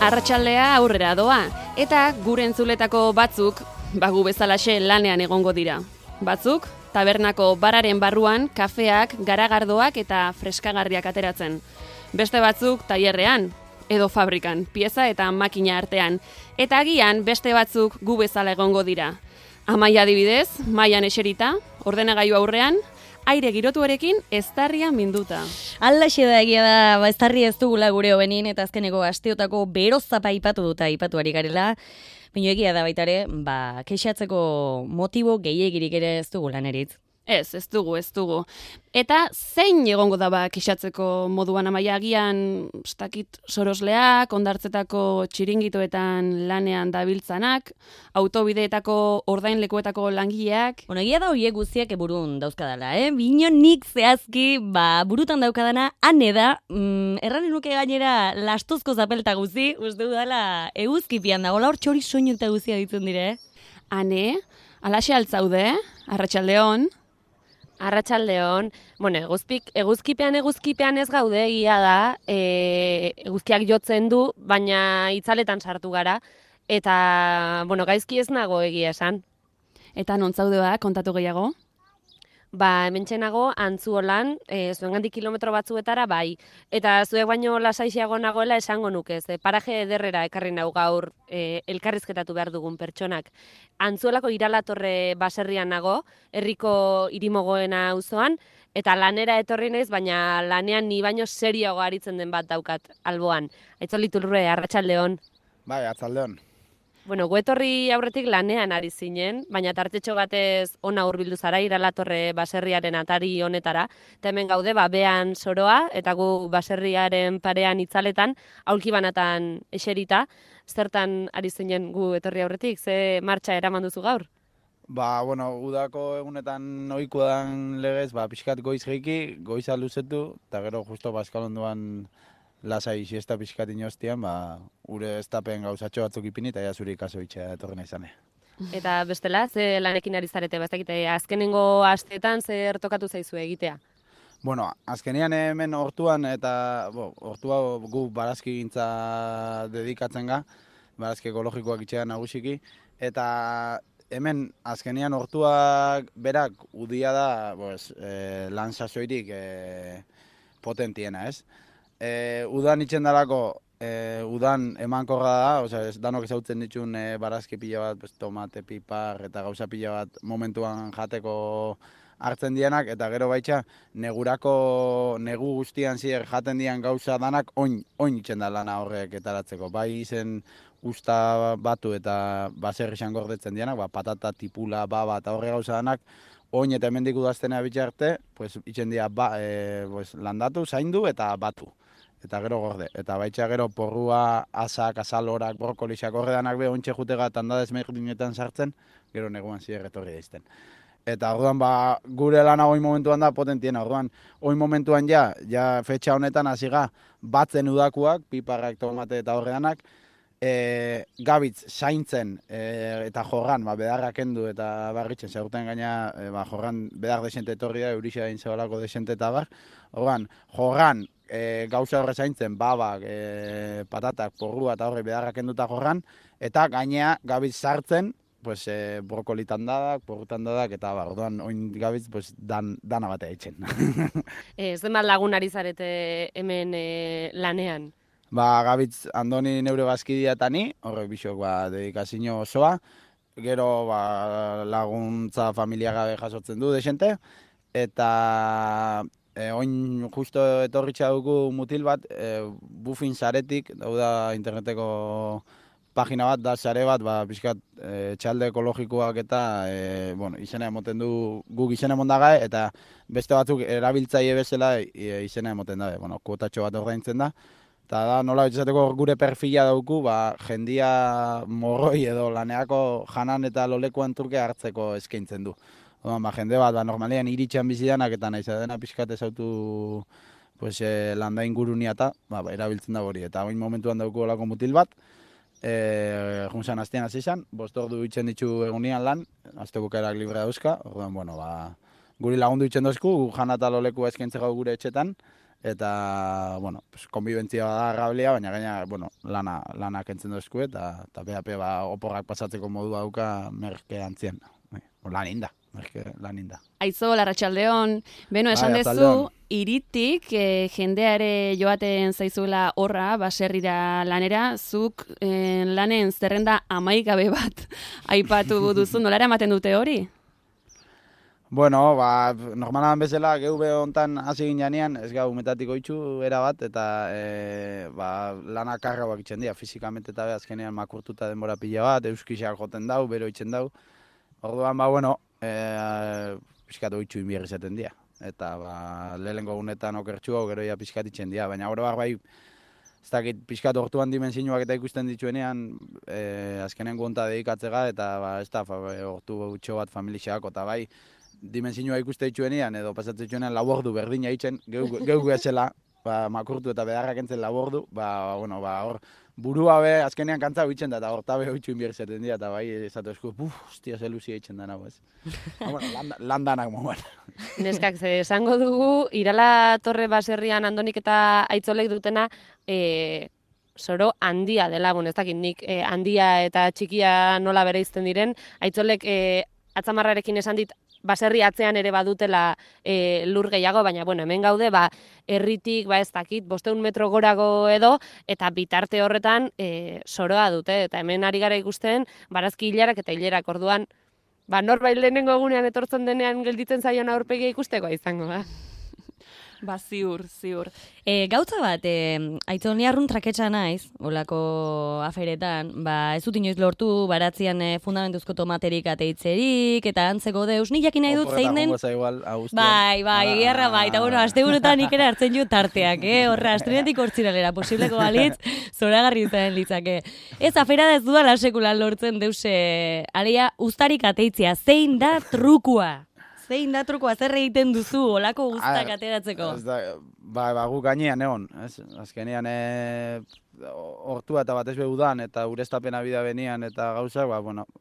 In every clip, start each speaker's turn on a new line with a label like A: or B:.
A: Arratsaldea aurrera doa, eta gure entzuletako batzuk, bagu bezalaxe lanean egongo dira. Batzuk, tabernako bararen barruan, kafeak, garagardoak eta freskagarriak ateratzen. Beste batzuk, tailerrean, edo fabrikan, pieza eta makina artean. Eta agian, beste batzuk gu bezala egongo dira. Amaia adibidez, mailan eserita, ordenagailu aurrean, aire girotuarekin eztarria minduta.
B: Alaxe da egia da, eztarria ez dugula gure hobenin, eta azkeneko asteotako berozapa aipatu ari garela. Baina egia da baita ere, kexatzeko motibo gehiegirik ere ez dugu laneritz.
A: Ez dugu. Eta zein egongo da kexatzeko moduan, Amaia, agian sorosleak, ondartzetako txiringitoetan lanean dabiltzanak, autobideetako ordainlekuetako langileak.
B: Egia da horiek guztiak burun dauzkadala, Bino nik zehazki, burutan daukadana, ane da, erranen nuke gainera lastozko zapelta guzti, uste dudala eguzkipian dago, hor txori soinu eta guztia ditzen dire,
A: Ane, alaxe altzaude, arratsaldeon.
C: Arratsaldeon, eguzkipean ez gaude, egia da, eguzkiak jotzen du, baina itzaletan sartu gara, eta, gaizki ez nago egia esan.
A: Eta non zaude kontatu gehiago?
C: Hementxe nago, Antzuolan, zuengandik kilometro batzuetara, bai. Eta zuek baino lasaixiago nagoela esango nuke, paraje ederrera ekarri nau gaur elkarrizketatu behar dugun pertsonak. Antzuolako Iralatorre baserrian nago, herriko irimogoena auzoan, eta lanera etorri naiz, baina lanean ni baino serioago aritzen den bat daukat alboan. Aitzoliturre, arratsaldeon.
D: Bai, arratsaldeon.
C: Gu etorri aurretik lanean ari zinen, baina tartetxo batez ona hurbildu zara Iralatorre baserriaren atari honetara. Eta hemen gaude, behan soroa, eta gu baserriaren parean itzaletan, aulki banatan eserita. Zertan ari zinen gu etorri aurretik, ze martxa eraman duzu gaur?
D: Udako egunetan ohikoa dan legez, pixkat goiz geiki, goiza luzetu, eta gero justo baskalonduan lasai siesta pixkat inoztian, ure estapen gauzatxo batzuk ipini, eta zuri kaso itxea etorri nahi zane.
C: Eta bestela, ze lanekin ari zarete, azkenengo asteetan zer tokatu zaizu egitea?
D: Azkenean hemen hortuan, eta hortua gu barazki gintza dedikatzen ga, barazki ekologikoak itxean nagusiki, eta hemen azkenean hortuak berak udia da lan sasoirik potentiena, ez? Udan itxen dalako, udan emankorra da, danok ezautzen ditun barazki pila bat, tomate, pipar eta gauza pila bat momentuan jateko hartzen dianak, eta gero baitxa negu guztian zier jaten dian gauza danak oin itxen da lana horrek etaratzeko. Bai izen usta batu eta baserri gordetzen dianak, patata, tipula, baba eta horre gauza danak, oin eta hemendik udaztenea bitxarte, itxen dira landatu, zaindu eta batu. Eta gero gorde. Eta baitxa gero porrua, asak, azalorak, brokolixak horre danak ontxe jutega tandadez mehirdinetan sartzen, gero neguan zier etorri daizten. Eta orduan gure lana oin momentuan da potentiena. Orduan oin momentuan ja fetxa honetan hasiga batzen udakuak, piparrak, tomate eta horre danak, gabitz zaintzen eta jorran bedarrak endu eta barritzen zaurten gaina jorran bedar desente etorri da, eurixa egin zebalako desente eta bar. Orduan, jorran gauza horre zaintzen, babak, patatak, porrua eta horre bedarrak enduta jorran, eta gainea gabitz sartzen, brokoli tandadak, porru tandadak, eta orduan oin gabitz dana batea itxen.
C: Zenbat lagun ari zarete hemen lanean?
D: Gabitz Andoni neure bazkidea eta ni, horrek bisok dedikazio osoa, gero laguntza familia gabe jasotzen du desente, eta oin justo etorritxa dugu mutil bat, Bufin saretik, dauda interneteko pagina bat, da sare bat, pixkat txalde ekologikoak eta izena emoten du, guk izena emon dagae, eta beste batzuk erabiltzaile bezala izena emoten da, kuotatxo bat ordaintzen da. Eta da, nola betxateko gure perfila dauku, jendia morroi edo laneako janan eta lolekuan turke hartzeko eskaintzen du. Jende bat, normalean iritxan bizidanak eta nahiz dena pixkat ezautu landain gurunia eta erabiltzen da hori. Eta oin momentuan dauku olako mutil bat, junzan hastean hasi izan, 5 ordu itzen ditu egunian lan, azte bukaerak librea dauzka, orduan, guri lagundu itzen dozku, jana eta lolekua eskaintzeko gure etxetan, eta, bueno, pues, konbibentzia da rablia, baina gaina, bueno, lana kentzen dozku, eta PHP oporrak pasatzeko modua dauka merke antzien. Lan inda, merke lan inda.
A: Aizo, Larratxaldeon, beno, esan dezu,
D: arratsaldeon.
A: hiritik jendeare joaten zaizuela horra, baserrira lanera, zuk lanen zerrenda amaikabe bat aipatu duzu, nola eramaten dute hori?
D: Bueno, normalan bezala, geube hontan hasi ginean, ez gau umetatik oitzu erabat, eta lana karrauak itzen dira, fizikamente eta azkenean makurtuta denbora pila bat, euskisak joten dau, bero itzen dau. Orduan, pixkat oitzu inbierri zaten dira. Eta lehenko gunetan okertxua, gero ja pixkat itzen dira, baina oroak bai, ez dakit pixkat ortuan dimensioak eta ikusten dituenean, azkenen gonta dedikatzega, eta ez da, ortu utxo bat familixako, eta bai, dimensioa ikuste dituenean, edo pasatzen dituenean labordu berdina itzen, geuk ezela, makurtu eta beharrak entzen labordu, hor, burua be, azkenean kantza bitzen da, eta horta be hoitzu inbier zaten dira, eta bai, esatu esku, hostia, ze luzia itzen dana, ez. Lan danak moan.
C: Neskak, ze esango dugu, Irala Torre baserrian Andonik eta Aitzolek dutena, soro handia dela, ez dakit nik handia eta txikia nola bereizten diren, Aitzolek atzamarrarekin esan dit, baserri atzean ere badutela lur gehiago, baina hemen gaude, herritik, ez dakit, 500 metro gorago edo, eta bitarte horretan soroa dute, eta hemen ari gara ikusten, barazki hilarak eta hilerak orduan, norbait lehenengo egunean etortzen denean gelditzen zaion aurpegia ikusteko izango da.
A: Ziur.
B: Gautza bat, Aitzol, ni arrun traketsa naiz, olako aferetan, ez dut inoiz lortu baratzean fundamentuzko tomaterik ateitzerik, eta antzeko deus, ni jakin nahi dut zein den... Bai, gerra bai, eta asteburutan nik ere hartzen jo tarteak, horra, astrenetik hortziralera, posibleko balitz, zoragarri izan litzake. Ez, afera da ez dudala sekulan lortzen deus, alia, uztarik ateitzea, zein da trukua? Zein da trukua, zer egiten duzu, olako guztak ateratzeko?
D: Gu gainean egon, azkenean hortua eta batez udan, eta ureztapena bida benian eta gauzak,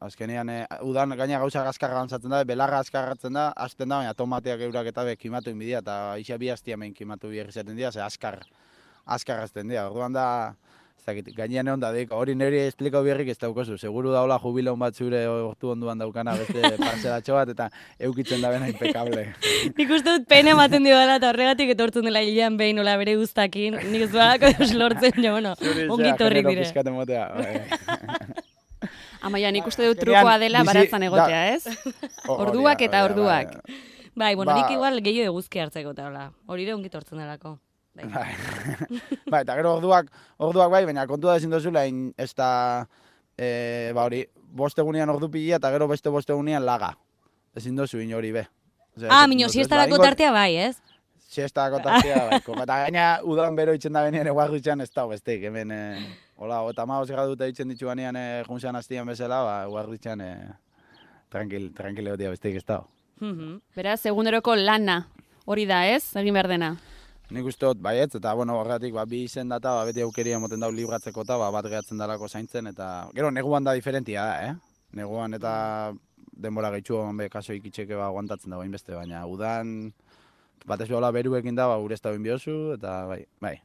D: azkenean udan gaina gauza azkarra gantzatzen da, belarra azkarratzen da, hasten da, baina tomateak eurak eta kimatu inbidia, eta isa bi hastia hemen kimatu biherri zaten dira, ze azkar azten dira, orduan da, gainean egon da, hori niri esplikau biherrik ez daukozu, seguru daula jubileon bat zure hortu onduan daukana beste parcelatxo bat, eta eukitzen da bena impecable.
B: Nik uste dut pena ematen dio dela, eta horregatik etortzen dela hilean behin nola bere guztakin, nik ez dualako deus lortzen, ongi torrik dire.
A: Amaia, nik uste dut trukoa dela baratzan egotea, ez? Orduak eta orduak.
B: Bai, nik igual gehiago eguzki hartzeko eta hori ere ongi tortzen delako.
D: Eta gero orduak bai, baina kontua ezin dozula, ez da, hori, 5 egunean ordu pila eta gero beste 5 egunean laga. Ezin dozu hori be.
B: Mino, siestarako tartea bai, ez?
D: Siestarako tartea bai. Eta gaina udan bero itzen da benean eguak dutxean ez da, bestek, hemen, eta magoz egaduta itzen ditu banean junzean hastian bezala, eguak dutxean tranquile hotia bestek ez da.
A: Beraz, eguneroko lana hori da, ez? Egin behar dena.
D: Nik uste dut, baietz, eta horregatik bi izen data, beti aukeria emoten dau libratzeko eta bat gehatzen dalako zaintzen, eta gero neguan da diferentia da, Neguan eta denbora gehitxu kaso ikitxeke aguantatzen dago inbeste, baina udan batez behola beruekin da, urezta bin biozu, eta bai,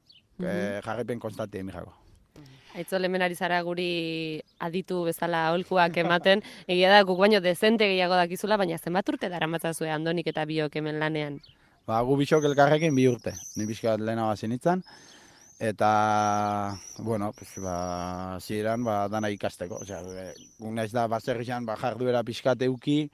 D: jarripen konstantia emijako.
C: Aitzol, hemen ari zara guri aditu bezala aholkuak ematen, egia da guk baino dezente gehiago dakizula, baina zenbat urte daramatzazue Andonik eta biok hemen lanean?
D: Gu bisok elkarrekin 2 urte, ni pixkat lehenago zenitzen, eta, ziren, dana ikasteko. Gu naiz da, baserrizan, jarduera pixkat euki,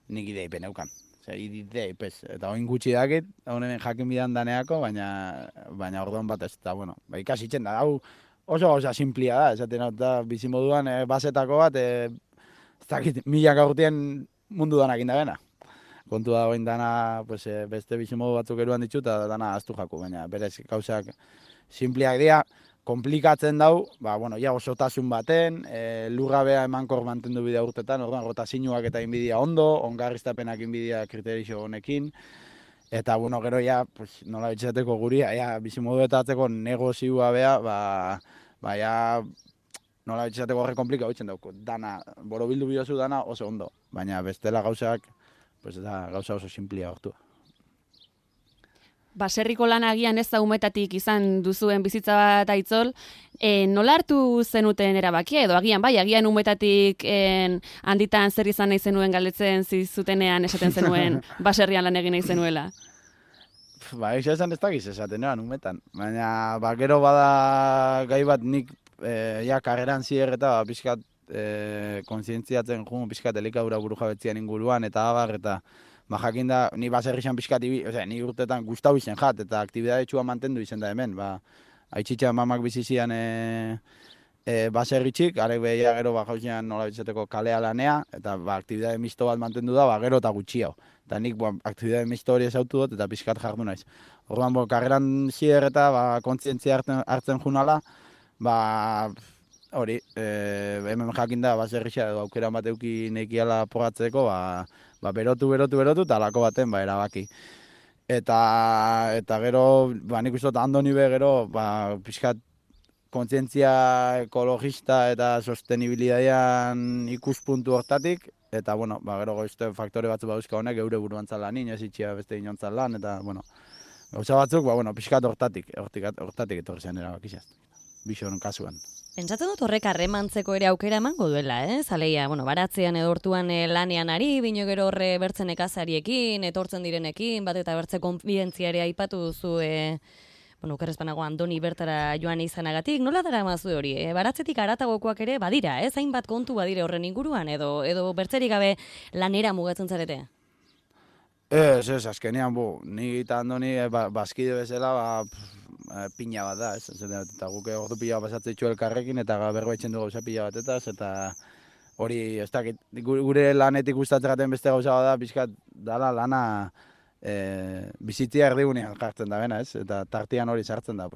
D: nik ideipen eukan. Ideipez, eta oin gutxi dakit, honen jakin bidan daneako, baina orduan bat ez, eta, ikasitzen da, hau oso gauza simplia da, esaten da, bizimoduan, basetako bat, ez dakit, 1000 urtean mundu danak indabena. Kontua da oin dana, beste bizimodu batzuk eruan ditu eta dana aztu jaku, baina berez gauzak simpliak dira, komplikatzen dau, ja osotasun baten, lurrabea emankor mantendu bidea urtetan, orduan rotazinuak eta inbidia ondo, ongarriztapenak inbidia kriterixo honekin, eta gero nola bitxateko guri, bizimodu eta atzeko negozioa beha, nola bitxateko horre komplika bitzen dauko, dana, borobildu biozu dana oso ondo, baina bestela gauzak, da gauza oso simplia hortu.
A: baserriko lan agian ez da umetatik izan duzuen bizitza bat Aitzol, nola hartu zenuten erabakia edo agian umetatik handitan zer izan nahi zenuen galdetzen zizutenean esaten zenuen baserrian lan egin nahi zenuela?
D: Egia esan ez dakiz esaten eran umetan, baina gero bada gai bat nik karreran zier eta pixkat kontzientziatzen jugu pixkat elikadura burujabetzian inguruan eta abar eta jakin da, ni baserrixan pixkat, ni urtetan gustau izen jat, eta aktibidade txua mantendu izen da hemen, haitxitxa mamak bizizian baserritxik, arek behia gero jauzian nola bitzateko kalea lanea, eta aktibidade misto bat mantendu da, gero eta gutxiago. Eta nik aktibidade misto hori ezautu dut, eta pixkat jardu naiz. Orduan, karreran zier eta kontzientzia hartzen junala, hori, hemen jakin da baserrixa edo aukera bat euki nekiala porratzeko, berotu, eta alako baten, erabaki. Eta gero, nik uste dut Andoni be gero, pixkat kontzientzia ekologista eta sostenibilidadean ikuspuntu hortatik, eta, gero goizte faktore batzu bauzka honek, eure buruantzan lanin, ez itxia beste inontzan lan, eta, gauza batzuk, pixkat hortatik etorri zen erabakizaz, bixoren kasuan.
B: Pentsatzen dut horrek harremantzeko ere aukera emango duela, Zaleia, baratzean edo hortuan lanean ari, bino gero horre bertzen ekazariekin, etortzen direnekin, bat eta bertze konfidentzia ere aipatu duzu, okerrezpanago Andoni bertara joan izanagatik, nola dara mazu hori? Baratzetik aratagokoak ere badira, hainbat kontu badire horren inguruan, edo bertzerik gabe lanera mugatzen zarete?
D: Ez, azkenean, ni eta Andoni bazkide bezala, pina bat da, eta guk ordu pila pasatzen ditu elkarrekin, eta berbaitzen du gauza pila batetaz, eta hori, ez dakit, gure lanetik gustatzen beste gauza bat da, pixkat dala lana bizitzia erdigunean jartzen da bena, eta tartian hori sartzen da,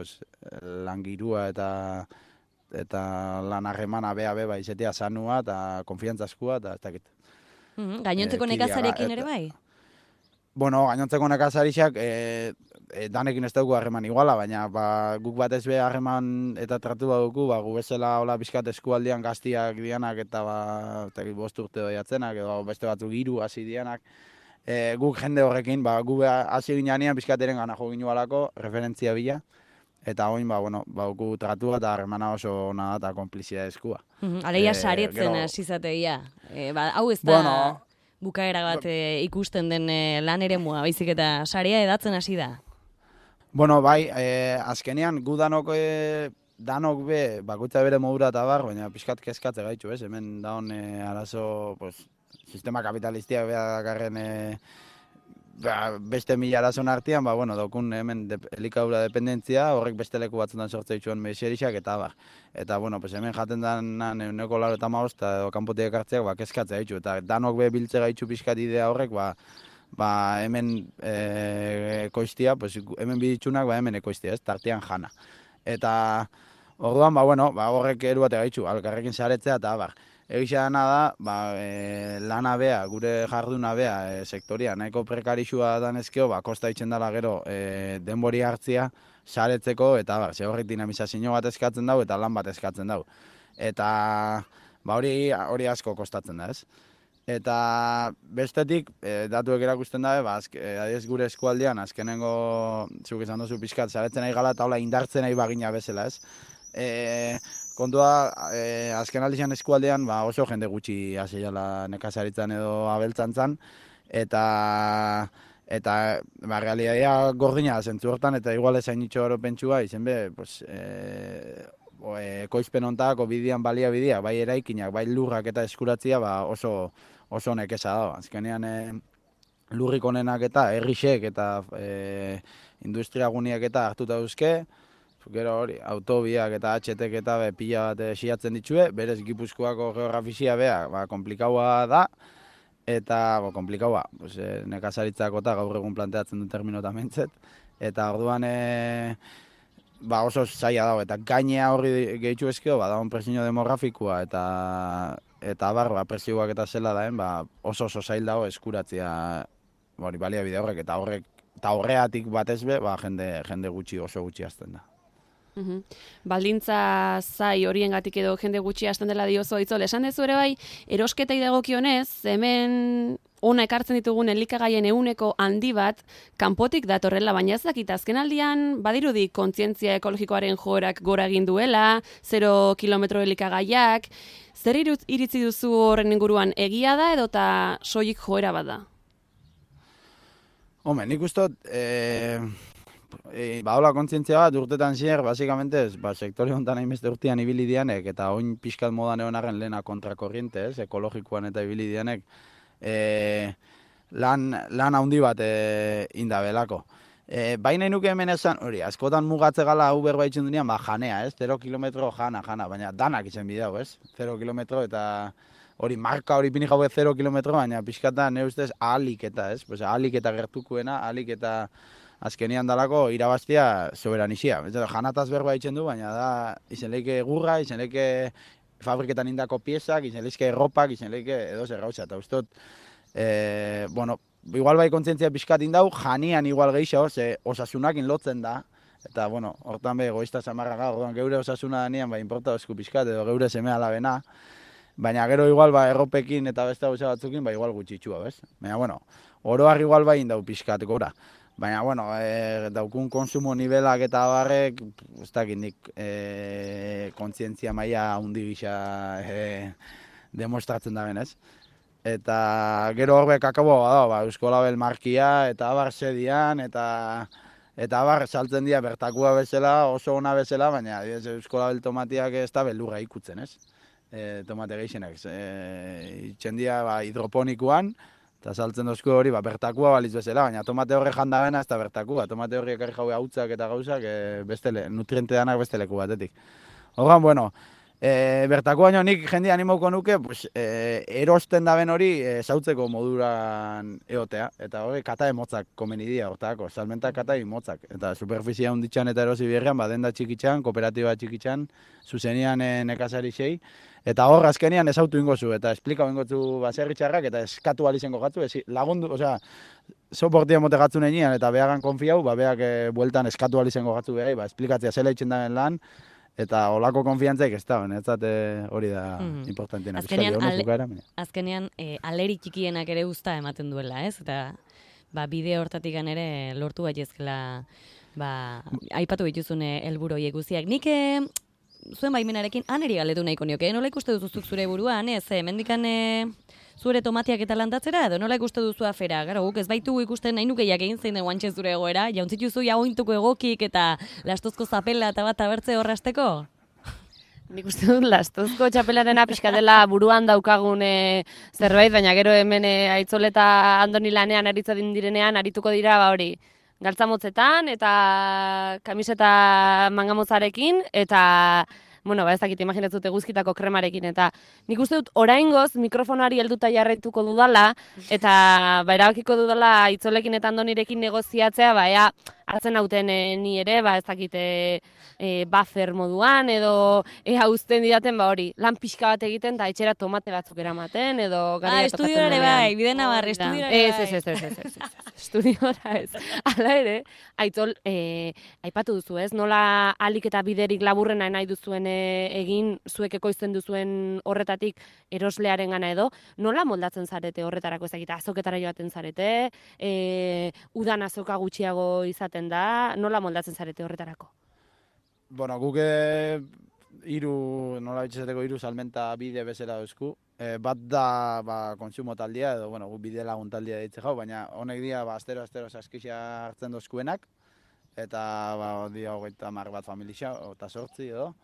D: langirua eta lan harremana bea izetea sanua, eta konfiantzazkoa, eta ez dakit.
B: Gainontzeko nekazarekin ere bai?
D: Gainontzeko nekazarixak danekin ez dugu harreman iguala, baina guk batez be harreman eta tratu badugu, gu bezala hola bizkat eskualdean gaztiak dianak eta 5 urte doiatzenak, edo beste batzuk 3 hasi dianak, guk jende horrekin, gu hasi ginean bizkateren gana jo ginualako, referentzia bila, eta oin, gu tratu eta harremana oso ona da eta konplizia eskua.
B: Aleia saretzen hasizateia, hau ez da bukaera bat ikusten den lan ere mua, baizik eta sarea edatzen hasi da.
D: Azkenean gu danok be, bakoitza bere modura eta baina pixkat kezkatze gaitxu, hemen daun arazo, sistema kapitalistia behagarren beste 1000 arazon artean, daukun hemen elikadura dependentzia, horrek beste leku batzutan sortze dituen meserixak eta bar. Eta, hemen jaten dan euneko 85 edo kanpotik ekartzeak, kezkatzea ditu. Eta danok be biltze gaitxu pixkat idea horrek, hemen ekoiztia, hemen biditzunak, hemen ekoiztia, tartean jana. Eta, orduan, horrek eru bat gaitxu, alkarrekin saretzea eta bar. Egisa dena da, lana bea, gure jarduna bea, sektoria nahiko prekarixua danezkeo, kosta itzen dela gero denbori hartzia, saretzeko, eta ze horrek dinamizazio bat eskatzen dau, eta lan bat eskatzen dau. Eta hori asko kostatzen da, ez? Eta bestetik, datuek erakusten dabe, adiez gure eskualdean, azkenengo, zuk izan duzu pixkat, saretzen nahi gala, eta hola indartzen nahi bagina bezala, ez? Kontua, azken aldizan eskualdean oso jende gutxi hasi jala nekazaritzan edo abeltzantzan, eta realitatea gordina zentzu hortan, eta igual ezain itxo hori pentsua, izen be, ekoizpen ontako bidean balia bidea, bai eraikinak, bai lurrak eta eskuratzia oso nekeza da. Azkenean lurrik onenak eta herrixek eta industriaguniak eta hartuta duzke, gero hori, autobiak eta HTek eta pila bat esiatzen ditue, berez Gipuzkoako geografizia bea, komplikaua da, eta, komplikaua, nekazaritzako eta gaur egun planteatzen dut terminota mentzet, eta orduan, oso zaila dago, eta gainea horri gehitzu ezkeo, dagoen presinio demografikoa, eta presioak eta zela daen, oso zail dago eskuratzea baliabide horrek, eta horreatik batez be, jende gutxi, oso gutxi hasten da.
A: Baldintza zai horiengatik edo jende gutxi hasten dela diozu Aitzol. Esan dezu ere bai, erosketei dagokionez, hemen ona ekartzen ditugun elikagaien ehuneko handi bat kanpotik datorrela, baina ez dakit azkenaldian badirudi kontzientzia ekologikoaren joerak gora egin duela, 0 kilometro elikagaiak, zer iritzi duzu horren inguruan, egia da edota soilik joera bat da?
D: Hombre, nik uste badola kontzientzia bat urtetan zier, basikamente, sektore honetan hainbeste urtean ibili dianek, eta oin pixkat modan egon arren lehena kontrakorriente, ekologikoan eta ibili dianek, lan handi bat indabelako. Baina nuke hemen esan, hori, askotan mugatze gala Uber baitzen dunean, janea, 0 kilometro jana, baina danak izan bidau, 0 kilometro eta hori marka hori pini jaue 0 kilometro, baina pixkata nire ustez ahalik eta, ahalik eta gertukuena, ahalik eta azkenian dalako irabaztia soberanizia. Janataz berba itzen du, baina da izen leike gurra, izen leike fabriketan indako piezak, izen leike erropak, izen leike edo zer gauza. Eta ustot, igual bai kontzientzia pixkat indau, janian igual gehiago, osasunakin lotzen da. Eta, hortan be, egoista zamarra gaur, geure osasuna danean, inporta esku pixkat, edo geure seme alabena. Baina gero igual erropekin eta beste gauza batzukin, igual gutxitxua, bez? Baina, oroar igual bai indau pixkat gora. Baina, daukun konsumo nivelak eta barrek, ez dakit nik kontzientzia maila handi gisa demostratzen da benez. Eta gero horbek akabo bada, Eusko Label markia eta abar sedian, eta abar saltzen dira bertakua bezala, oso ona bezala, baina Eusko Label tomatiak ez da beldurra ikutzen, ez? Tomate gehienak. Itxen dira hidroponikoan, eta saltzen dozku hori, bertakua baliz bezala, baina tomate horre jandagena ez da bertakua. Tomate horri ekarri jaue hautzak eta gauzak, nutriente danak beste leku batetik. Horren, bertakua baino nik jende animauko nuke, erosten daben hori zautzeko moduran eotea. Eta hori katae motzak komenidia hortako, salmentak katae motzak. Eta superfizia hunditxan eta erosi berrian, denda txikitxan, kooperatiba txikitxan, zuzenian nekazari xei. Eta hor, azkenian ezautu ingozu, eta esplikau ingozu baserritxarrak, eta eskatu alizengo gatzu, lagundu, soportia mote gatzu nenean, eta behagan konfiau, beak bueltan eskatu alizengo gatzu behar, esplikatzea zela itxen daben lan, eta olako konfiantzaik ez da, hori da importantiena.
B: Azkenean, aleri txikienak ere usta ematen duela, ez? Eta bide hortatik ere lortu baiezkela, aipatu dituzune helburu horiek guztiak. Nik zuen baimenarekin aneri galetu nahiko nioke, nola ikuste duzuzuk zure buruan, mendikan zure tomatiak eta landatzera, edo nola ikuste duzu afera, gara guk ez baitu ikusten nahi nukeiak egin zein den guantxe zure egoera, jauntzitu jaointuko egokik eta lastozko zapela eta bat abertze horrasteko?
C: Nik uste dut lastozko txapelarena pixka dela buruan daukagun zerbait, baina gero hemen Aitzol eta Andoni lanean aritzen direnean arituko dira hori. Galtzamotzetan eta kamiseta mangamotzarekin eta, ez dakit imaginatzut eguzkitako kremarekin. Eta nik uste dut oraingoz mikrofonari helduta jarraituko dudala eta erabakiko dudala Aitzolekin eta Andonirekin negoziatzea, hartzen hauten ni ere, ez dakit buffer moduan edo uzten didaten hori, lan pixka bat egiten eta etxera tomate batzuk eramaten edo garia tokatzen denean.
B: Estudiora bai, bide nabarre, estudiora
C: bai. Estudiora ez. Hala ere, Aitzol, aipatu duzu ez, nola alik eta biderik laburrena nahi duzuen egin zuek ekoizten duzuen horretatik eroslearen gana edo, nola moldatzen zarete horretarako ezagita, azoketara joaten zarete, udan azoka gutxiago izaten da, nola moldatzen zarete horretarako?
D: Guk nola bitxezateko hiru salmenta bide bezala dauzku. Bat da kontsumo taldea, edo guk bide lagun taldea ditze jau, baina honek dira astero saskixia hartzen dozkuenak, eta dia hogeita mar bat familia, eta sortzi edo.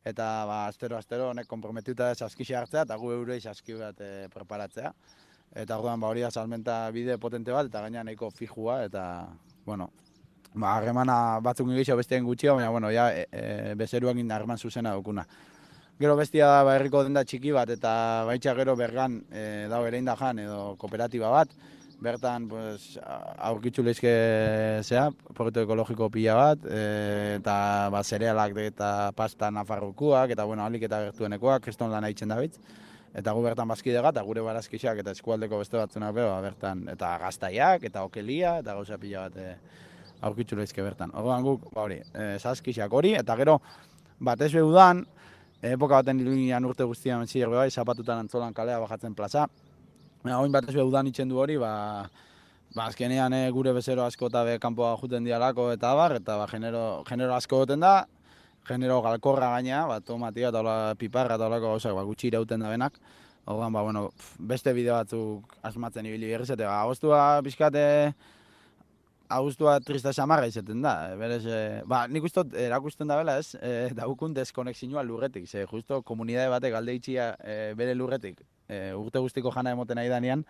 D: Eta astero honek komprometuta saskixia hartzea, eta gu eurei saski bat preparatzea. Eta orduan hori da salmenta bide potente bat, eta gaina nahiko fijua, eta, harremana batzuk egitea besteen gutxia, baina, bezeruak harreman zuzena dukuna. Gero bestia da herriko denda txiki bat, eta baitxa gero bergan dago ere indajan edo kooperatiba bat, bertan aurkitzu lehizke proiektu ekologiko pila bat, eta zerealak eta pasta nafarrokuak, eta alik eta gertuenekoak, kriston lan haitzen da bitz. Eta gu bertan bazkidega, eta gure barazkixak eta eskualdeko beste batzunak bertan, eta gaztaiak, eta okelia, eta gauza pila bat aurkitzu lehizke bertan. Orduan guk, zazkixak hori, eta gero, batez behudan, epoka baten iluinan urte guztian zier zapatutan Antzolan kalea bajatzen plaza, Oin batez be udan itzen du hori, azkenean gure bezero asko eta be kanpoa juten dialako eta abar, eta genero asko goten da, genero galkorra gaina, tomatia eta hola piparra eta holako gauzak gutxi irauten da benak. Orduan, bueno, beste bideo batzuk asmatzen ibili berriz, eta agostua pixkate, agustua trista xamarra izaten da. Berez, nik ustot erakusten da bela ez, daukun deskonexioa lurretik, ze justo komunidade batek alde itxia bere lurretik, urte guztiko jana emoten nahi danean,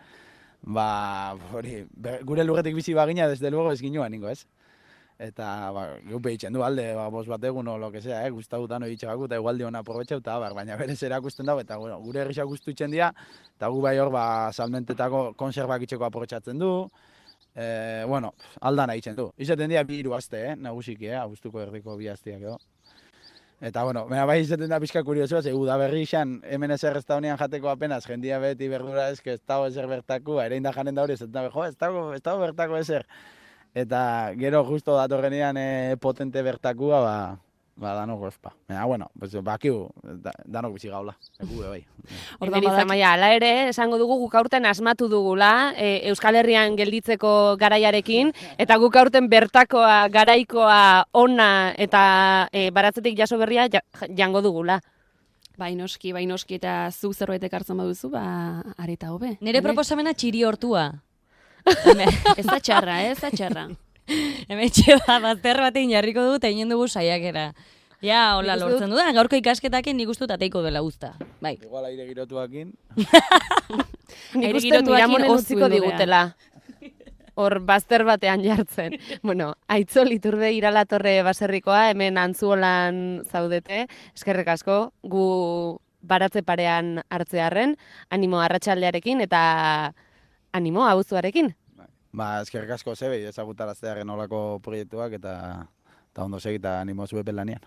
D: hori, gure lurretik bizi bagina, desde luego ez ginoa ningo, ez? Eta, geupe itxen du alde, bost bat egun o lo que sea, guztautan hori itxagaku, eta igual diona aprobetxau, eta baina berez erakusten dago, eta gure herrixak guztu itxen dira, eta gu bai hor, salmentetako konserbak itxeko aprobetxatzen du, aldana itxen du. Izaten dira bi hiru aste, nagusiki, abuztuko erdiko bi asteak edo. Eta, bai izaten da pixka kuriosoa, ze da berri izan, hemen ezer ez da honean jateko apenas, jendia beti berdura ez dago ezer bertako, ere inda janen da hori, ez dago bertako ezer. Eta gero justo datorrenean potente bertakua, danok ospa. Bakiu, danok bizi gaula, egube bai.
C: Amaia, ala ere, esango dugu guk aurten asmatu dugula, Euskal Herrian gelditzeko garaiarekin, eta guk aurten bertakoa, garaikoa, ona eta baratzetik jaso berria jango dugula.
A: Bainoski, eta zuk zerbait ekartzen baduzu, areta hobe.
B: Nire proposamena txiri hortua.
A: Ez da txarra, ez da txarra.
B: Hemen txeba, bazter batein jarriko dut, eta inen dugu saiakera. Ja, hola lortzen dudan, gaurko ikasketakin nik ustut ateiko dela guzta. Bai.
D: Igual aire girotuakin.
C: Nik uste Miramonen utziko digutela. Hor, bazter batean jartzen. Aitzol Iturbe Iralatorre baserrikoa, hemen Antzuolan zaudete, eskerrik asko, gu baratze parean hartzearren, animo arratsaldearekin eta animo abuzuarekin.
D: Eskerrik asko zebe, ezagutaraztearen olako proiektuak eta ondo segita animo zube pelanean.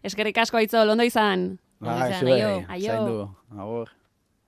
A: Eskerrik asko Aitzol, ondo izan.
D: Zaindu, agur.